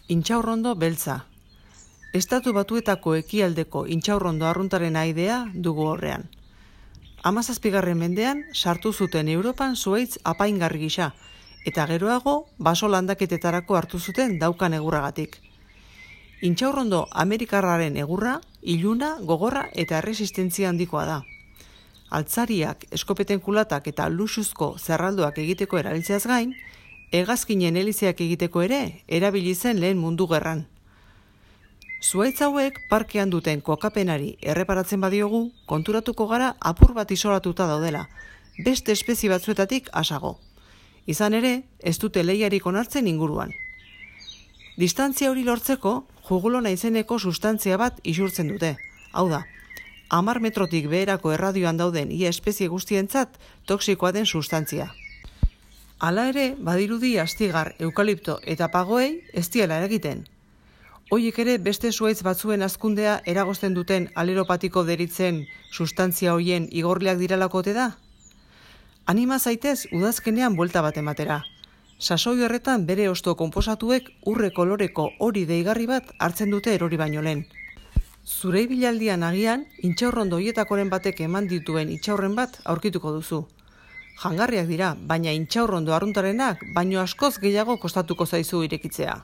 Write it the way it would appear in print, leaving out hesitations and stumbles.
Intxaurrondo beltza. Estatu Batuetako ekialdeko intxaurrondo arruntaren aidea dugu horrean. 17. mendean sartu zuten Europan zuhaitz apaingarri gisa, eta geroago baso landaketetarako hartu zuten daukan egurragatik. Intxaurrondo amerikarraren egurra, iluna, gogorra eta erresistentzia handikoa da. Altzariak, eskopeten kulatak eta luxuzko zerraldoak egiteko erabiltzeaz gain, hegazkinen elizeak egiteko ere erabili zen lehen mundu gerran. Zuhaitz hauek parkean duten kokapenari erreparatzen badiogu, konturatuko gara apur bat isolatuta daudela, beste espezie batzuetatik asago. Izan ere, ez dute lehiarik onartzen inguruan. Distantzia hori lortzeko, jugulona izeneko sustantzia bat isurtzen dute. Hau da, 10 metrotik beherako erradioan dauden ia espezie guztientzat toxikoa den sustantzia. Hala ere, badirudi astigar, eukalipto eta pagoei ez diela eragiten. Hoiek ere beste zuhaitz batzuen hazkundea eragozten duten aleropatiko deritzen sustantzia hoien igorleak direlako ote da? Anima zaitez udazkenean buelta bat ematera. Sasoi horretan bere hosto konposatuek urre koloreko hori deigarri bat hartzen dute erori baino lehen. Zure ibilaldian agian, intxaurrondo hoietakoren batek eman dituen itxaurren bat aurkituko duzu. Jangarriak dira, baina intxaurrondo arruntarenak baino askoz gehiago kostatuko zaizu irekitzea.